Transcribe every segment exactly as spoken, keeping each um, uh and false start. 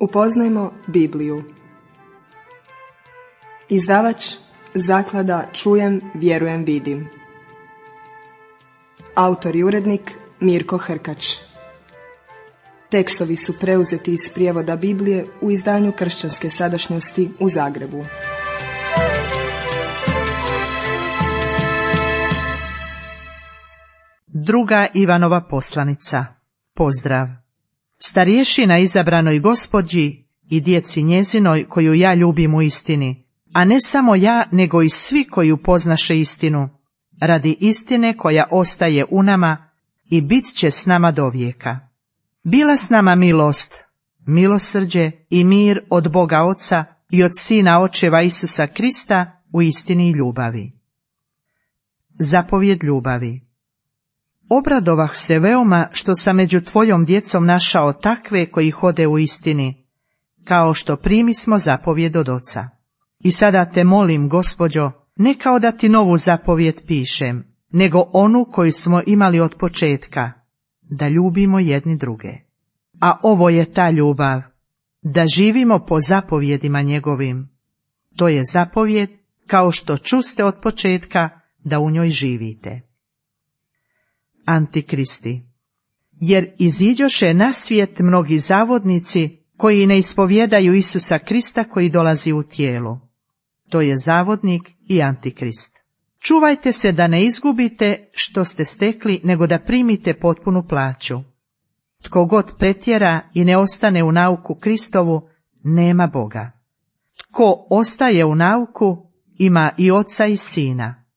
Upoznajmo Bibliju. Izdavač Zaklada Čujem, vjerujem, vidim. Autor i urednik Mirko Hrkač. Tekstovi su preuzeti iz prijevoda Biblije u izdanju Kršćanske sadašnjosti u Zagrebu. Druga Ivanova poslanica. Pozdrav. Starješina izabranoj gospođi i djeci njezinoj koju ja ljubim u istini, a ne samo ja, nego i svi koji upoznaše istinu, radi istine koja ostaje u nama i bit će s nama do vijeka. Bila s nama milost, milosrđe i mir od Boga Oca i od Sina Očeva Isusa Krista u istini i ljubavi. Zapovjed ljubavi. Obradovah se veoma što sam među tvojom djecom našao takve koji hode u istini, kao što primismo zapovjed od Oca. I sada te molim, gospođo, ne kao da ti novu zapovjed pišem, nego onu koju smo imali od početka, da ljubimo jedni druge. A ovo je ta ljubav, da živimo po zapovjedima njegovim. To je zapovjed, kao što čuste od početka, da u njoj živite. Antikristi. Jer iziđoše na svijet mnogi zavodnici koji ne ispovjedaju Isusa Krista koji dolazi u tijelu. To je zavodnik i antikrist. Čuvajte se da ne izgubite što ste stekli, nego da primite potpunu plaću. Tko god pretjera i ne ostane u nauku Kristovu, nema Boga. Tko ostaje u nauku, ima i Oca i Sina.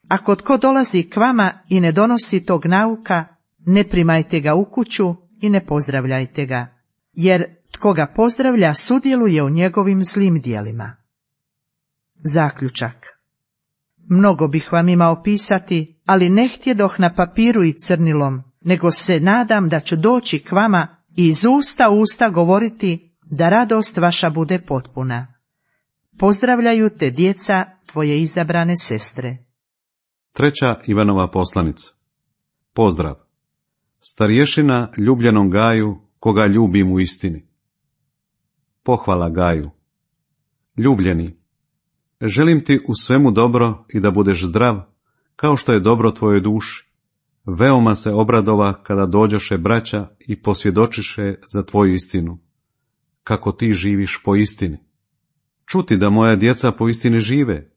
Ako tko dolazi k vama i ne donosi tog nauka, ne primajte ga u kuću i ne pozdravljajte ga, jer tko ga pozdravlja sudjeluje u njegovim zlim djelima. Zaključak. Mnogo bih vam imao pisati, ali ne htjedoh na papiru i crnilom, nego se nadam da ću doći k vama i iz usta u usta govoriti da radost vaša bude potpuna. Pozdravljaju te djeca tvoje izabrane sestre. Treća Ivanova poslanica. Pozdrav. Starješina ljubljenom Gaju, koga ljubim u istini. Pohvala Gaju. Ljubljeni, želim ti u svemu dobro i da budeš zdrav, kao što je dobro tvojoj duši. Veoma se obradova kada dođoše braća i posvjedočiše za tvoju istinu, kako ti živiš po istini. Čuti da moja djeca po istini žive,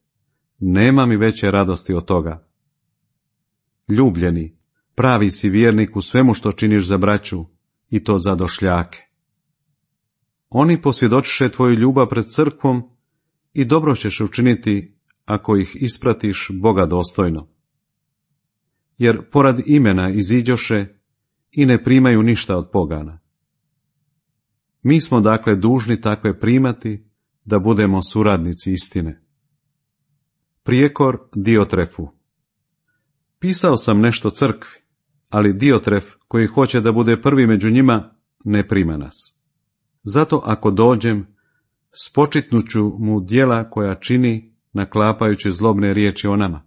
nema mi veće radosti od toga. Ljubljeni, pravi si vjernik u svemu što činiš za braću, i to za došljake. Oni posvjedočiše tvoju ljubav pred crkvom i dobro ćeš učiniti ako ih ispratiš Boga dostojno. Jer porad imena iziđoše i ne primaju ništa od pogana. Mi smo dakle dužni takve primati, da budemo suradnici istine. Prijekor Diotrefu. Pisao sam nešto crkvi, ali Diotref, koji hoće da bude prvi među njima, ne prima nas. Zato ako dođem, spočitnuću mu djela koja čini, naklapajući zlobne riječi o nama.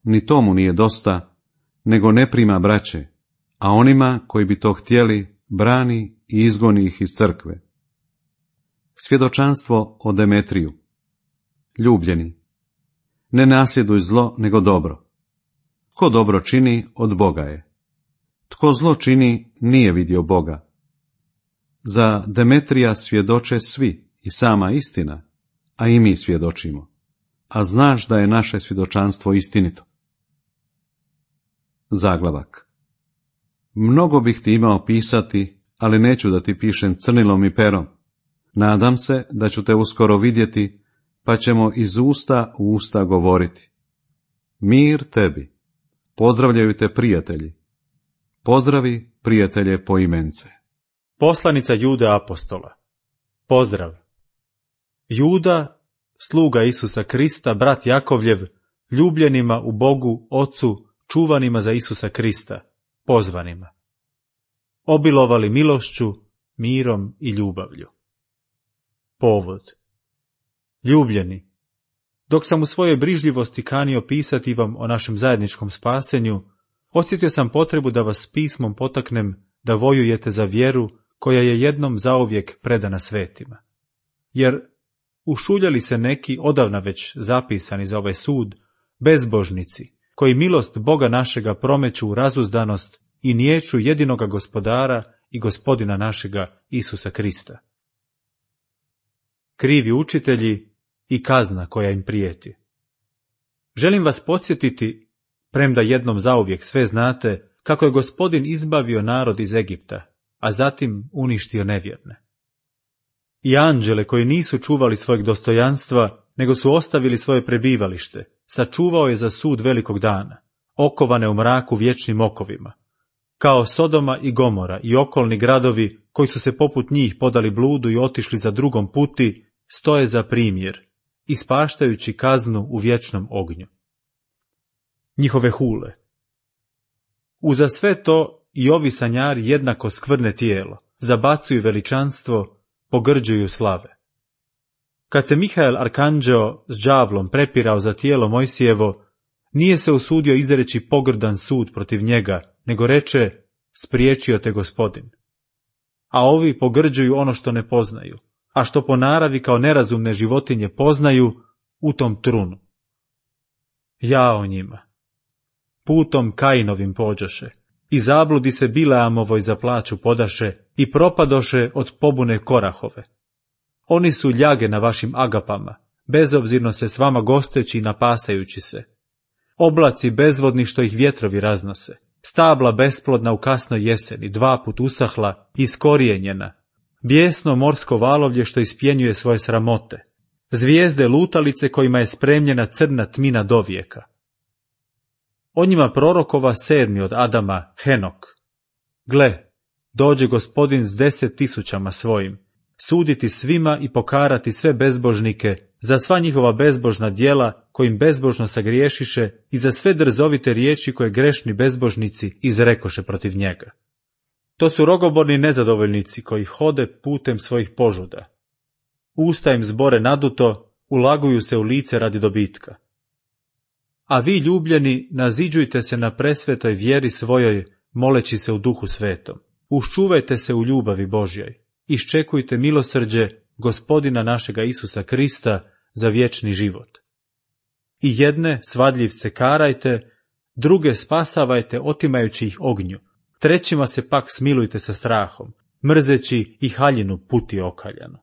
Ni tomu nije dosta, nego ne prima braće, a onima koji bi to htjeli, brani i izgoni ih iz crkve. Svjedočanstvo o Demetriju. Ljubljeni, ne nasljeduj zlo, nego dobro. Tko dobro čini, od Boga je. Tko zlo čini, nije vidio Boga. Za Demetrija svjedoče svi i sama istina, a i mi svjedočimo. A znaš da je naše svjedočanstvo istinito. Zaglavak. Mnogo bih ti imao pisati, ali neću da ti pišem crnilom i perom. Nadam se da ću te uskoro vidjeti, pa ćemo iz usta u usta govoriti. Mir tebi. Pozdravljaju te prijatelji. Pozdravi prijatelje po imence. Poslanica Jude apostola. Pozdrav. Juda, sluga Isusa Krista, brat Jakovljev, ljubljenima u Bogu, Ocu, čuvanima za Isusa Krista, pozvanima. Obilovali milošću, mirom i ljubavlju. Povod. Ljubljeni, dok sam u svojoj brižljivosti kanio pisati vam o našem zajedničkom spasenju, osjetio sam potrebu da vas pismom potaknem da vojujete za vjeru koja je jednom zauvijek predana svetima. Jer ušuljali se neki, odavna već zapisani za ovaj sud, bezbožnici, koji milost Boga našega promeću u razuzdanost i niječu jedinoga gospodara i gospodina našega Isusa Krista. Krivi učitelji i kazna koja im prijeti. Želim vas podsjetiti, premda jednom zauvijek sve znate, kako je Gospodin izbavio narod iz Egipta, a zatim uništio nevjerne. I anđele koji nisu čuvali svojeg dostojanstva, nego su ostavili svoje prebivalište, sačuvao je za sud velikog dana, okovane u mraku vječnim okovima, kao Sodoma i Gomora i okolni gradovi koji su se poput njih podali bludu i otišli za drugom puti, stoje za primjer, ispaštajući kaznu u vječnom ognju. Njihove hule. Uza sve to i ovi sanjari jednako skvrne tijelo, zabacuju veličanstvo, pogrđuju slave. Kad se Mihael arkanđeo s đavlom prepirao za tijelo Mojsijevo, nije se usudio izreći pogrdan sud protiv njega, nego reče, spriječio te Gospodin. A ovi pogrđuju ono što ne poznaju, a što po naravi kao nerazumne životinje poznaju, u tom trunu. Jao njima. Putom Kainovim pođoše, i zabludi se Bileamovoj za plaću podaše, i propadoše od pobune Korahove. Oni su ljage na vašim agapama, bezobzirno se s vama gosteći i napasajući se. Oblaci bezvodni što ih vjetrovi raznose, stabla besplodna u kasnoj jeseni, dva put usahla, iskorijenjena, bijesno morsko valovlje što ispjenjuje svoje sramote, zvijezde lutalice kojima je spremljena crna tmina dovijeka. O njima prorokova sedmi od Adama, Henok. Gle, dođe Gospodin s deset tisućama svojim, suditi svima i pokarati sve bezbožnike za sva njihova bezbožna djela kojim bezbožno sagriješiše i za sve drzovite riječi koje grešni bezbožnici izrekoše protiv njega. To su rogoborni nezadovoljnici koji hode putem svojih požuda. Usta im zbore naduto, ulaguju se u lice radi dobitka. A vi, ljubljeni, naziđujte se na presvetoj vjeri svojoj, moleći se u duhu svetom. Uščuvajte se u ljubavi Božjoj. Iščekujte milosrđe Gospodina našega Isusa Krista za vječni život. I jedne svadljivce karajte, druge spasavajte otimajući ih ognju, trećima se pak smilujte sa strahom, mrzeći i haljinu puti okaljanu.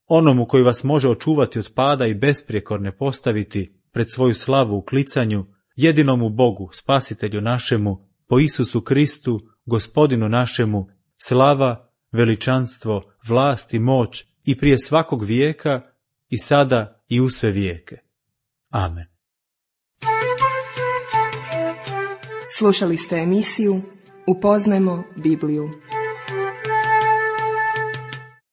Onomu koji vas može očuvati od pada i besprijekorne postaviti pred svoju slavu u klicanju, jedinomu Bogu, Spasitelju našemu, po Isusu Kristu, Gospodinu našemu, slava, veličanstvo, vlast i moć i prije svakog vijeka i sada i u sve vijeke. Amen. Slušali ste emisiju Upoznajmo Bibliju.